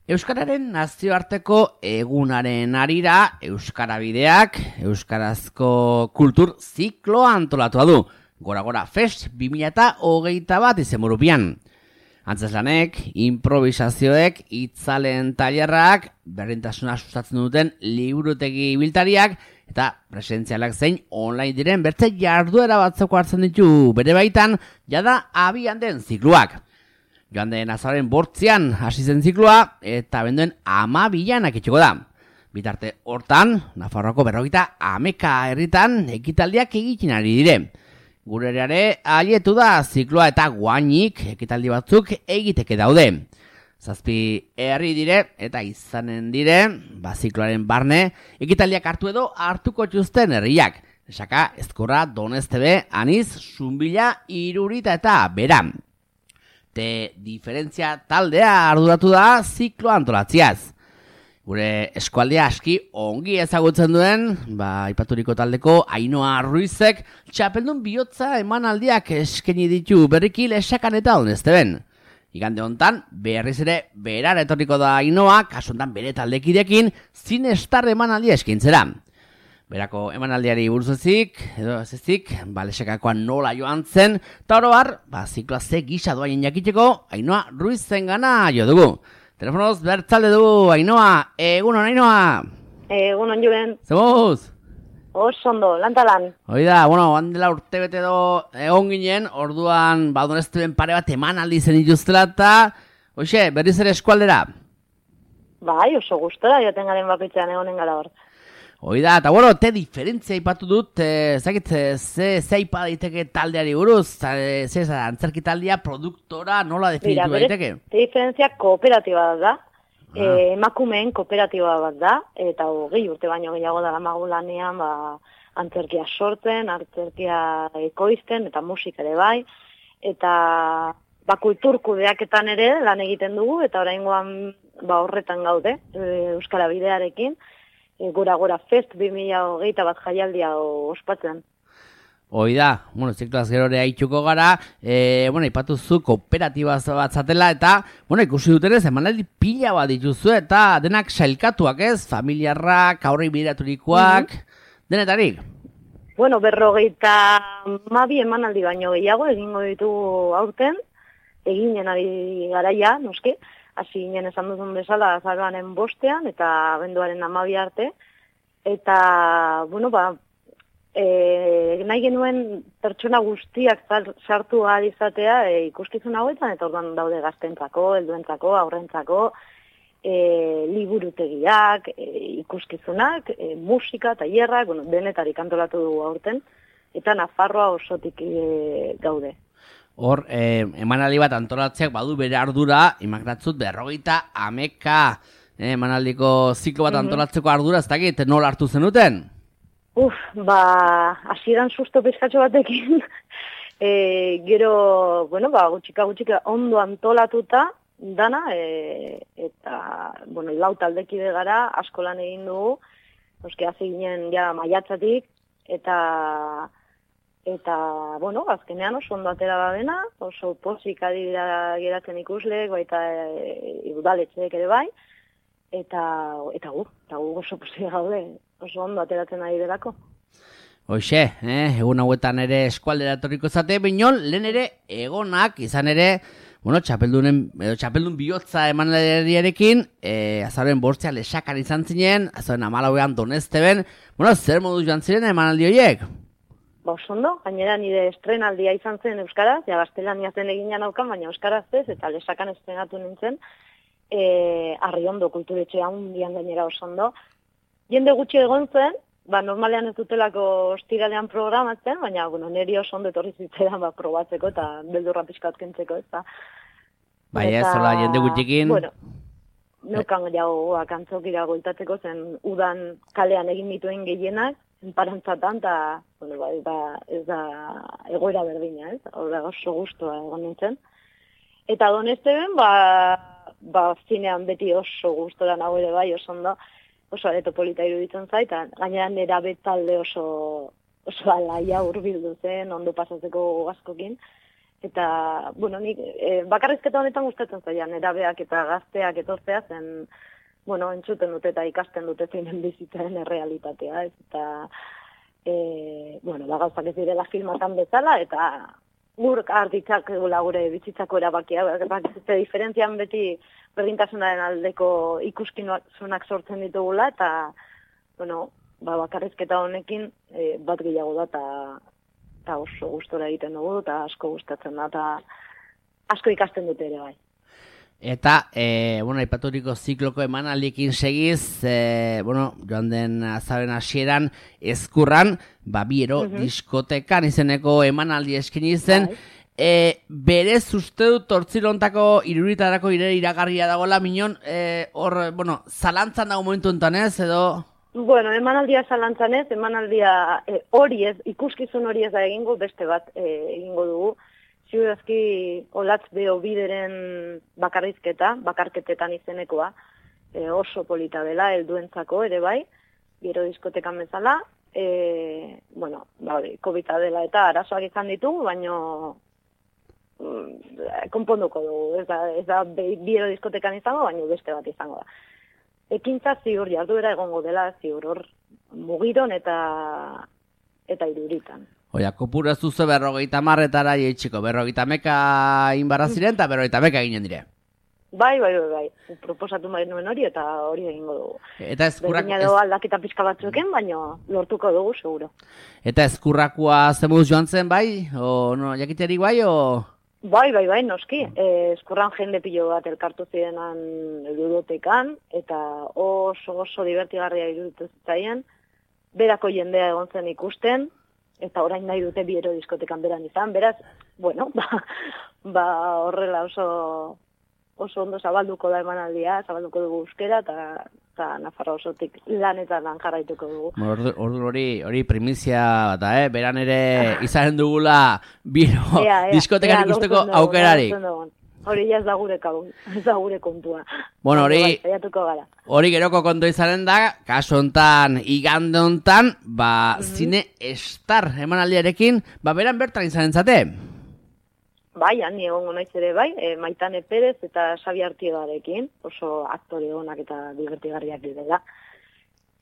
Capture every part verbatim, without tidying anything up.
Euskararen nazioarteko egunaren arira, Euskara Bideak, Euskarazko kultur zikloa antolatua du. Gora-gora Fest bi mila hogeita bat izenburupean. Antzeslanek, improvisazioek, itzalen tailerrak, berdintasuna sustatzen duten liburutegi biltariak, eta presentzialak zein online diren bertze jarduera batzeko hartzen ditu bere baitan, jada abian den zikloak. Joan den azaren bortzian hasi zen zikloa, eta benduen amabilan akitxeko da. Bitarte hortan, Nafarroako berrogeita hameka herritan ekitaldiak egiten ari dire. Gure ere alietu da zikloa eta guainik ekitaldi batzuk egiteke daude. Zazpi herri dire eta izanen dire, ba zikloaren barne, ekitaldiak hartu edo hartuko txuzten herriak. Esaka, Ezkorra, Doneztebe, Aniz, Zunbila, Irurita eta Beran. Te diferentzia taldea arduratu da zikloa antolatziaz. Gure eskualdea aski ongi ezagutzen duen, ba, aipaturiko taldeko Ainhoa Ruizek txapeldun bihotza emanaldiak eskaini ditu berriki Lesakan eta Donezteben. Igande hontan, berriz ere berar etorriko da Ainhoa, kasu hontan bere taldekidekin, zinestar emanaldia eskaintzera. Berako emanaldiari buruz ezik, edo ez ezik, ba, Lesakakoan nola joan zen, eta oro har, ba, zikloa ze gisa doaien jakiteko, Ainhoa Ruizen gana jo dugu. Telefonoz bertzalde dugu, Ainhoa, egunon, Ainhoa. Egunon, Julen. Zemuz? Oso ondo, lantalan. Oida, bueno, handela urte bete edo egon ginen, orduan, ba, Donezteben pare bat emanaldi zen ituztela, eta, hoxe, berriz ere eskualdera. Bai, oso gustora, joaten garen bakoitzean egonen gara hor. Oida, eta bueno, te diferentzia ipatu dut, e, zakit, ze, ze ipa daiteke taldeari buruz, ze, ze antzerki taldea, produktora, nola definitu daiteke? Te diferentzia kooperatiba da, ah. e, emakumeen kooperatiba bat da, eta hogei urte baino gehiago da lamagu lanean, ba, antzerkia sortzen, antzerkia ekoizten, eta musika ere bai, eta ba, kultur kudeaketan ere lan egiten dugu, eta oraingoan ba, horretan gaude, e, Euskara Bidearekin, Gora-gora Fest bi mila hogeita bat jaialdia ospatzen. Hoi da, bueno, zikloaz gero ere haitxuko gara, e, bueno, ipatuzu kooperatiba bat zatela, eta, bueno, ikusi dutenez, emanaldi pila bat dituzu, eta denak sailkatuak ez, familiarrak, aurrei bideraturikoak, mm-hmm. denetarik? Bueno, berrogeita mabi emanaldi baino gehiago, egingo ditugu aurten, eginen ari garaia, noski, hasi ginen esan duzun bezala azaroaren bostean eta abenduaren hamabi arte. Eta, bueno, ba, e, nahi genuen pertsona guztiak sartu ahal izatea e, ikuskizun hauetan, eta orduan daude gaztentzako, helduentzako, aurrentzako, e, liburutegiak, e, ikuskizunak, e, musika, tailerrak, bueno, denetarik antolatu dugu aurten, eta Nafarroa osotik e, gaude. Hor, eh, emanaldi bat antolatzeak badu bere ardura, imagratzut berrogeita hameka eh, emanaldiko ziklo bat antolatzeko ardura, ez dakit, nola hartu zenuten? Uf, ba, hasieran susto pizkatxo batekin, e, gero, bueno, ba, gutxika gutxika ondo antolatuta dana, e, eta, bueno, lau taldekide gara, asko lan egin dugu, oske, hazi ginen, ja, maiatzatik, eta... Eta, bueno, azkenean oso ondo atera da dena, oso pozik adira geratzen ikusleek, baita e, udaletxeek ere bai, eta, eta gu, eta gu oso pozik gaude, oso ondo ateratzen ari delako. Hoxe, eh, egun hauetan ere eskualdera etorriko zate, binon, lehen ere egonak, izan ere, bueno, txapeldunen, edo txapeldun bihotza emanaldiarekin, eh, azaren bortzea Lesakan izan zinen, azaren amalauean Donezteben, bueno, zer modu joan ziren emanaldi horiek? Ba, osondo, gainera nire estrenaldia izan zen euskaraz, ja gaztelania zen egina naukan, baina euskaraz ez, eta Lesakan estrenatu nintzen, e, Arriondo kulturetxea hundian gainera osondo. Jende gutxi egon zen, ba, normalean ez dutelako ostiralean programatzen, baina, bueno, niri osondo etorri zitzaidan ba, probatzeko eta beldurra pixkat kentzeko, ez da. Bai, ez, hola, jende gutxikin. Bueno, neukan jau akantzokira goitatzeko zen udan kalean egin dituen gehienak, enparantzatan, eta, bueno, ba, ez, da, ez da egoera berdina, ez? Horra oso guztua egon nintzen. Eta Donezteben, ba, ba, zinean beti oso guztora nago ere bai, oso ondo, oso areto polita iruditzen zait, eta gainera nera betalde oso, oso alaia hurbildu zen, ondo pasatzeko gazkokin. Eta, bueno, nik e, bakarrizketa honetan gustatzen zaian, erabeak eta gazteak etortzea zen, bueno, entzuten dute eta ikasten dute zeinen bizitzaren errealitatea, ez, eta, e, bueno, ba, gauzak ez direla filmatan bezala, eta gur hartitzak egula gure bizitzako erabakia, bakizte diferentzian beti berdintasunaren aldeko ikuskizunak sortzen ditugula, eta, bueno, ba, bakarrizketa honekin e, bat gehiago da, eta eta oso gustora egiten dugu, eta asko gustatzen da, eta asko ikasten dute ere bai. Eta, e, bueno, aipaturiko zikloko emanaldiekin segiz, e, bueno, joan den azaren hasieran Ezkurran, ba, Biero uh-huh. diskotekan izeneko emanaldi eskaini zen, bai. E, berez uste dut tortzilontako iruritarako ire iragarria dagoela, minon, e, hor, bueno, zalantzan dago momentu enten ez, edo... Bueno, emanaldia zalantzan ez, emanaldia e, hori ez, ikuskizun hori ez da egingo, beste bat e, egingo dugu. Ziurazki olatz beho bideren bakarrizketa, bakarketetan izenekoa, e, oso polita dela, helduentzako ere bai, Biero diskotekan bezala, e, bueno, ba, COVID-a dela eta arazoak izan ditugu, baino mm, konponduko dugu, ez da, ez da Biero diskotekan izango, baino beste bat izango da. Ekintza ziur, jarduera egongo dela, ziur hor Mugiron eta eta Iruritan. Oia, kopura zuze berrogeita marretara jeitxiko, berrogeita meka inbarra ziren eta berrogeita meka ginen dire. Bai, bai, bai, bai. Proposatu bai nuen hori eta hori egingo dugu. Eta ezkurrak... Berdina edo aldaketa pixka batzueken, baina lortuko dugu, seguro. Eta ezkurrakua zemuz joan zen, bai? O, no, jakiterik bai, o... Bai, bai, bai, noski. Eh, eskurran jende pilo bat elkartu zirenan ludotekan, eta oso oso divertigarria iruditu zitzaien, berako jendea egon zen ikusten, eta orain nahi dute Biero diskotekan beran izan, beraz, bueno, ba, ba horrela oso, oso ondo zabalduko da emanaldia, zabalduko dugu euskera, eta eta Nafarroa osotik lanetan lan jarraituko dugu. Ordu, ordu hori, hori primizia bat, eh? Beran ere izanen dugula Biero ea, ea, diskotekan ea, ikusteko dugu, aukerarik. Hori ja ez da gure, ez da gure kontua. Bueno, hori, hori geroko kontu izanen da, kaso hontan, igande hontan, ba, mm-hmm. Zine Star emanaldiarekin, ba, beran bertan izanen zate? Bai, han egongo naiz ere bai, e, Maitane Perez eta Xabi Artiegarekin, oso aktore onak eta divertigarriak direla.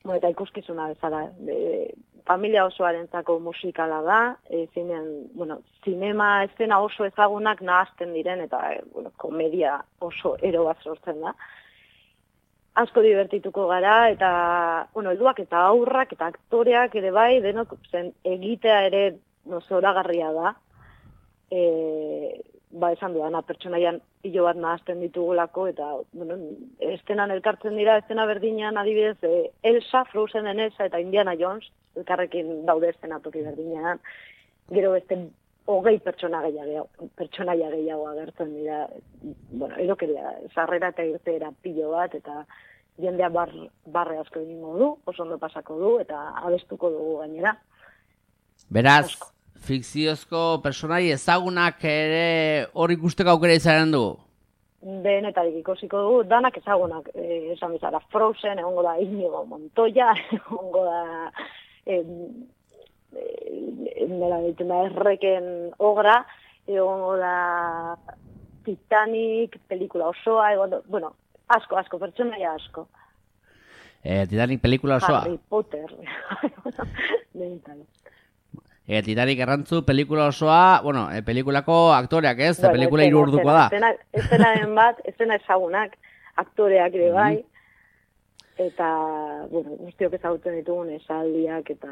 Bueno, eta ikuskizuna bezala, e, familia osoarentzako musikala da, e, zinean, bueno, zinema eszena oso ezagunak nahazten diren, eta e, bueno, komedia oso ero bat sortzen da. Asko divertituko gara, eta, bueno, helduak eta aurrak eta aktoreak ere bai, denok zen egitea ere no, zoragarria da. E, ba esan duana, pertsonaian pilo bat nahazten ditugulako, eta bueno, estenan elkartzen dira, estena berdinean adibidez, e, Elsa, Frozenen Elsa eta Indiana Jones, elkarrekin daude estenatoki berdinean, gero beste hogei pertsona gehiago, pertsonaia gehiago agertzen dira, bueno, erokeria, sarrera eta irteera pilo bat, eta jendea bar, barre asko egingo du, oso ondo pasako du, eta abestuko dugu gainera. Beraz, asko. Fikziozko personai ezagunak ere hor ikusteko aukera izanen dugu? Denetarik ikusiko dugu, danak ezagunak, eh, esan bizara, Frozen, egongo da Inigo Montoya, egongo da eh, eh, nela ditzen da erreken ogra, egongo da Titanic, pelikula osoa, egongo, bueno, asko, asko, pertsonaia asko. Eh, Titanic pelikula osoa? Harry Potter, denetarik. E, Titanic errantzu, pelikula osoa, bueno, e, pelikulako aktoreak ez, bueno, pelikula hiru orduko da. Estenaren bat, estena ezagunak, aktoreak ere bai, eta, bueno, guztiok ezagutzen ditugun esaldiak, eta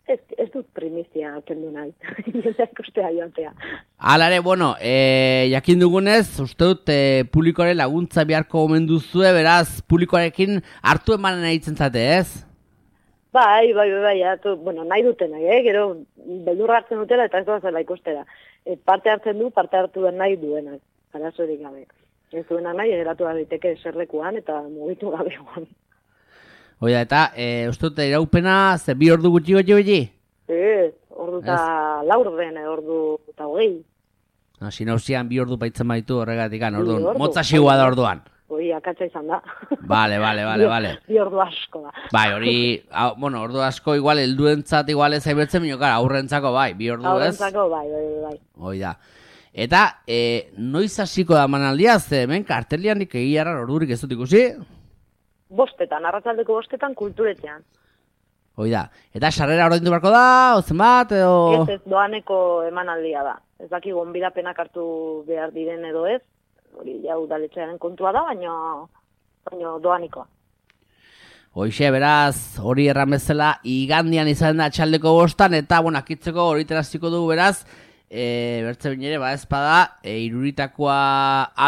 ez, ez dut primizia kendu nahi, jendeak ustea joatea. Hala ere, bueno, e, jakin dugunez, uste dut, e, publikoaren laguntza beharko omen duzue, beraz, publikoarekin hartu emanen nahitzen zate, ez? Bai, bai, bai, bai, atu, bueno, nahi duten nahi, eh? Gero beldurra hartzen dutela eta ez doazela ikustera. E, parte hartzen du, parte hartu den nahi duenak, arazorik gabe. Ez duenak nahi, eratu daiteke eserlekuan eta mugitu gabe guan. Oida, eta, e, uste dute iraupena, ze bi ordu gutxi gutxi gutxi? Ez, ordu eta laur den, ordu eta hogei. No, sinauzian bi ordu baitzen baitu horregatik, orduan, motza xigua da orduan. hori akatsa izan da. Bale, bale, bale, bale. Bi ordu asko da. Bai, hori, hau, bueno, ordu asko igual helduentzat igual ez aibertzen, mino, kara, aurrentzako bai, bi ordu ez. Aurrentzako bai, bai, bai. Hoi da. Eta, e, noiz hasiko da manaldia, ze hemen kartelian nik egiarra ordurik ez dut ikusi? Bostetan, arratsaldeko bostetan kulturetxean. Hoi da. Eta sarrera ordaindu beharko da, ozen bat, edo... Ez ez, doaneko emanaldia da. Ez daki gonbidapenak hartu behar diren edo ez, hori ja udaletxearen kontua da, baina, baina doanikoa. Hoixe, beraz, hori erran bezala, igandian izan da txaldeko bostan, eta, bueno, akitzeko hori teraziko du, beraz, e, bertze binere, ba, ezpada, e, iruritakoa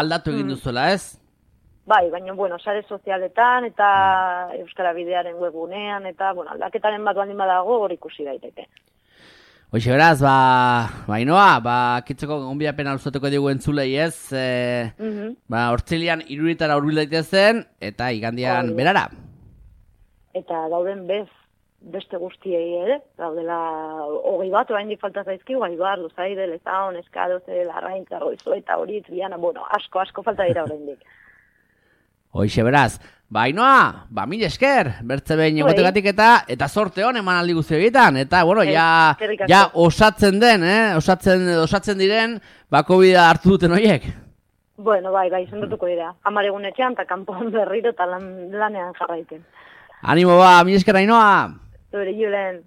aldatu egin duzuela, ez? Bai, baina, bueno, sare sozialetan eta Euskara Bidearen webgunean eta, bueno, aldaketaren bat baldin badago hor ikusi daiteke. Hoxe, beraz, ba, bainoa, ba, kitzeko gonbidapena luzatuko digu entzulei ez, e, mm -hmm. ba, hortzilian iruritara hurbil daitezen, eta igandian oh, berara. Eta dauden bez, beste guztiei ere, daudela hogei bat, oraindik falta zaizkigu, Aibar, Luzaide, Lezaon, Eskadoze, Larraintza, Goizo eta hori, Triana, bueno, asko, asko falta dira oraindik. Hoixe, beraz, bainoa, ba, mil esker, bertze behin egotegatik eta, eta sorte hon eman aldi guzti egiten, eta, bueno, ja, ja osatzen den, eh, osatzen, osatzen diren, bako bida hartu duten horiek. Bueno, bai, bai, sendotuko dira, hamar egun etxean, eta kanpoan berriro, eta lan, lanean jarraiten. Animo ba, mil esker, Ainoa! Zure, Julen.